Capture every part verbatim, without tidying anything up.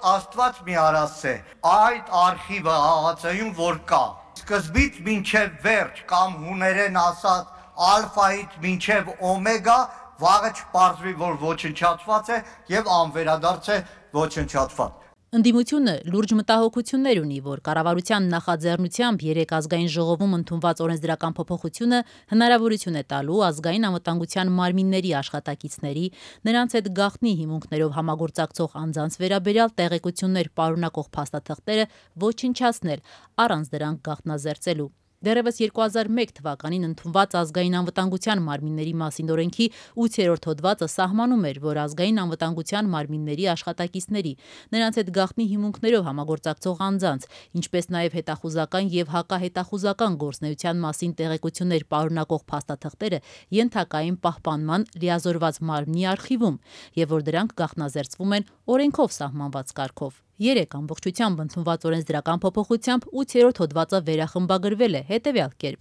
Աստված մի արասե, այդ արխիվը աղացայում որ կա, սկզբից մինչև վերջ կամ հուներեն ասած ալֆայից մինչև օմեգա, վաղը չպարզվի, որ ոչնչացված է և անվերադարձ է ոչնչացված։ Ընդդիմությունը լուրջ մտահոգություններ ունի, որ կառավարության նախաձեռնությամբ երեք ազգային ժողովում ընդունված օրենսդրական փոփոխությունը հնարավորություն է տալու ազգային անվտանգության մարմինների աշխատակիցների, նրանց հետ գաղտնի հիմունքներով համագործակցող անձանց վերաբերյալ տեղեկություններ պարունակող փաստաթղթերը ոչնչացնել, առանց դրանք գաղտնազերծելու։ Դեռևս երկու հազար մեկ թվականին ընդունված ազգային անվտանգության մարմինների մասին օրենքի ութերորդ հոդվածը սահմանում էր, որ ազգային անվտանգության մարմինների աշխատակիցների, նրանց հետ գաղտնի հիմունքներով համագործակցող անձանց, ինչպես նաև հետախուզական և հակահետախուզական գործունեության մասին տեղեկություններ պարունակող փաստաթղթերը ենթակա են պահպանման լիազորված մարմնի արխիվում, և որ դրանք գաղտնազերծվում են օրենքով սահմանված կարգով։ Երեք ամբողջությամբ ընդունված օրենսդրական փոփոխությամբ ութերորդ հոդվածը վերախմբագրվել է հետևյալ կերպ.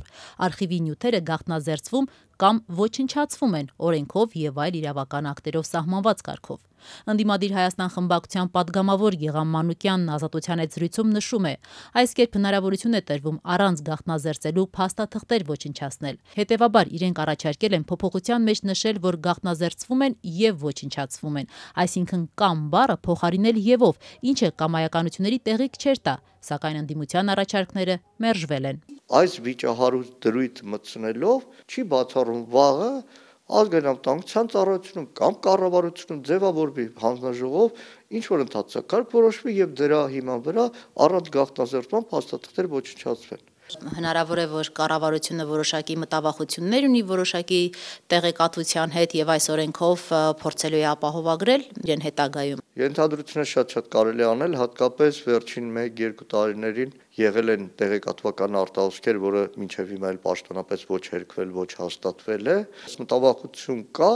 արխիվի նյութերը գաղտնազերծվում կամ ոչնչացվում են օրենքով և այլ իրավական ակտերով սահմանված կարգով։ Ընդդիմադիր Հայաստան խմբակցության պատգամավոր Գեղամ Մանուկյանն Ազատության հետ զրույցում նշում է, այս կերպ հնարավորություն է տրվում առանց գաղտնազերծելու փաստաթղթեր ոչնչացնել։ Հետևաբար իրենք առաջարկել են փոփոխության մեջ նշել, որ գաղտնազերծվում են և ոչնչացվում են, այսինքն կամ բառը փոխարինել եւով, ինչը կամայականությունների տեղիք չէր տա, սակայն ընդդիմության առաջարկները մերժվել են։ Այս վիճահարույց դրույթ մտցնելով չի բացառում վաղը ազգային անվտանգության ծառայությունում կամ կառավարությունում ձևավորվի հանձնաժողով, ինչ որ ընդհանրակարգ որոշվի եւ դրա հիման վրա առանց գաղտնազերծման փաստաթղթեր ոչնչացվեն։ Հնարավոր է, որ կառավարությունը որոշակի մտավախություններ ունի որոշակի տեղեկատվության հետ եւ այս օրենքով փորձելու է ապահովագրել իրեն հետագայում։ Ենթադրությունը շատ-շատ կարելի է անել, հատկապես վերջին մեկ-երկու տարիներին եղել են տեղեկատվական արտահոսքեր, որը մինչև հիմա էլ պաշտոնապես ոչ հերքվել, ոչ հաստատվել է։ Մտավախություն կա,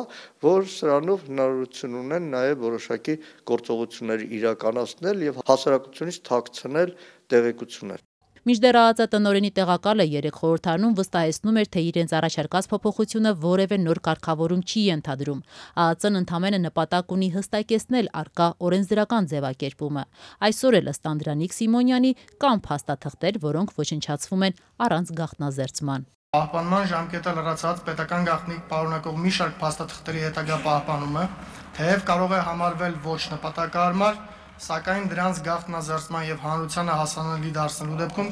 որ սրանով հնարավորություն ունեն նաեւ որոշակի գործողություններ իրականացնել եւ հասարակությունից թաքցնել տեղեկություններ։ Մինչդեռ ԱԱԾ տնօրենի տեղակալը երեք խորհրդարանում վստահեցնում էր, թե իրենց առաջարկած փոփոխությունը որևէ նոր կարգավորում չի ենթադրում։ ԱԱԾ-ն ընդամենը նպատակ ունի հստակեցնել առկա օրենսդրական ձևակերպումը։ Այսօր էլ ըստ Անդրանիկ Սիմոնյանի կան փաստաթղթեր, որոնք ոչնչացվում են առանց գաղտնազերծման։ Պահպանման ժամկետը լրացած պետական գաղտնիք պարունակող մի շարք փաստաթղթերի հետագա պահպանումը թեև կարող է համարվել ոչ նպատակահարմար, սակայն դրանց գաղտնազերծման եւ հանրությանը հասանելի դարձնելու դեպքում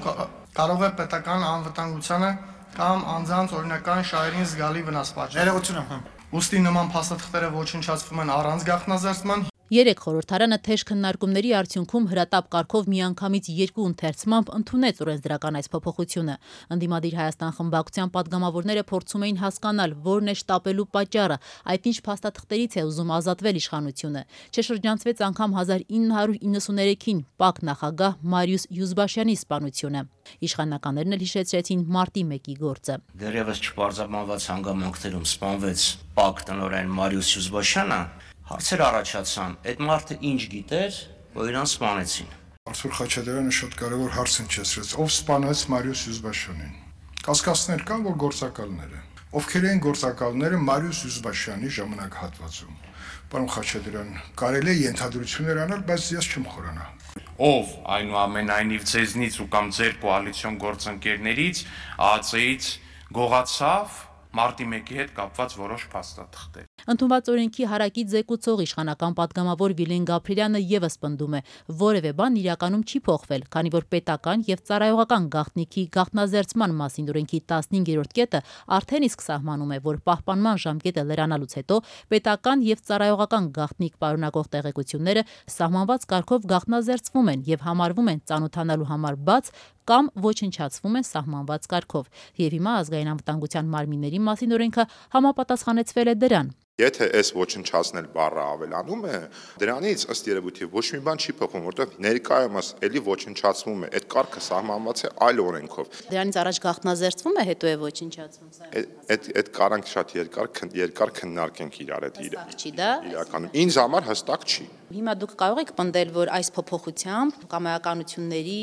կարող է պետական անվտանգությանը կամ անձանց օրինական շահերին զգալի վնաս պատճառել։ Ուստի նման փաստաթղթերը ոչնչացվում են առանց գաղտնազերծման։ Երեք խորհրդարանը թեժ քննարկումների արդյունքում հրատապ կարգով միանգամից երկու ընթերցմամբ ընդունեց օրենսդրական այս փոփոխությունը։ Ընդդիմադիր Հայաստան խմբակցության պատգամավորները փորձում էին հասկանալ, որն է շտապելու պատճառը, այդ ինչ փաստաթղթերից է ուզում ազատվել իշխանությունը։ Չշրջանցվեց անգամ հազար ինը հարյուր իննսուներեքին ՊԱԿ նախագահ Մարիուս Յուզբաշյանի սպանությունը։ Իշխանականներն էլ հիշեցրեցին մարտի մեկի գործը։ Դեռևս չպարզաբանված հանգամանքներում սպանվեց ՊԱԿ տնօրեն Մարիուս Յուզբաշյանը։ Հարցեր առաջացան, այդ մարդը ինչ գիտեր, որ իրան սպանեցին։ Արթուր Խաչատրյանը շատ կարևոր հարց հնչեցրեց, ով սպանեց Մարիուս Յուզբաշյանին։ Կասկածներ կան, որ գործակալները։ Ովքեր են գործակալները Մարիուս Յուզբաշյանի ժամանակահատվածում։ Պարոն Խաչատրյան, կարելի է ենթադրություններ անել, բայց ես չեմ խորանա։ Ով այնուամենայնիվ ձեզնից ու կամ ձեր կոալիցիոն գործընկերներից ԱԱԾ-ից գողացավ մարտի մեկի հետ կապված որոշ փաստաթղթեր։ Ընդունված օրենքի հարակից զեկուցող իշխանական պատգամավոր Վիլեն Գաբրիելյանը եւս պնդում է, որևէ բան իրականում չի փոխվել, քանի որ պետական եւ ծառայողական գաղտնիքի գաղտնազերծման մասին օրենքի տասնհինգերորդ կետը արդեն իսկ սահմանում է, որ պահպանման ժամկետը լրանալուց հետո պետական եւ ծառայողական գաղտնիք պարունակող տեղեկությունները սահմանված կարգով գաղտնազերծվում են եւ համարվում են ծանոթանալու համար բաց կամ ոչնչացվում են սահմանված կարգով։ Եվ հիմա ազգային անվտանգության մարմինների մասին օրենքը համապատասխանեցվել է դրան։ Եթե այս ոչնչացնել բառը ավելանում է, դրանից ըստ երևույթի ոչ մի բան չի փոխվում, որտեղ ներկայումս էլի ոչնչացվում է, այդ կարգը սահմանված է այլ օրենքով։ Դրանից առաջ գաղտնազերծվում է, հետո է ոչնչացվում, սա։ Այդ այդ կարանք շատ երկար երկար քննարկենք իրար հետ իրը։ Հստակ չի դա։ Իրականում ինձ համար հստակ չի։ Հիմա դուք կարող եք պնդել, որ այս փոփոխությամբ կամայականությունների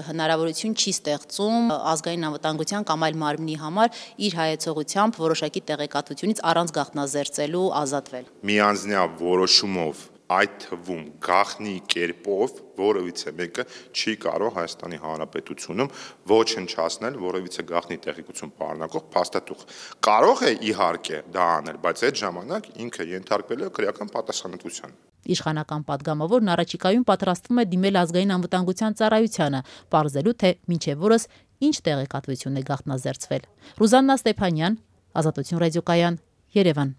հնարավորություն չի ստեղծում ազգային անվտանգության կամ այլ մարմնի համար իր հայեցողությամբ որոշակի տեղեկատվությունից առանց գաղտնազերծելու ազատվել։ Միանձնյա որոշումով այդ թվում գաղտնի կերպով որևիցե մեկը չի կարող Հայաստանի Հանրապետությունում ոչնչացնել որևիցե գաղտնի տեղեկություն պարունակող փաստաթուղթ։ Կարող է իհարկե դա անել, բայց այդ ժամանակ ինքը ենթարկվել է քրեական պատասխանատվության։ Իշխանական падգամավորն առաջիկայում պատրաստվում է դիմել ազգային անվտանգության ծառայությանը, պարզելու թե մինչև որս ինչ տեղեկատվություն է գաղտնազերծվել։ Ռուզաննա Ստեփանյան, Ազատություն ռադիոկայան, Երևան։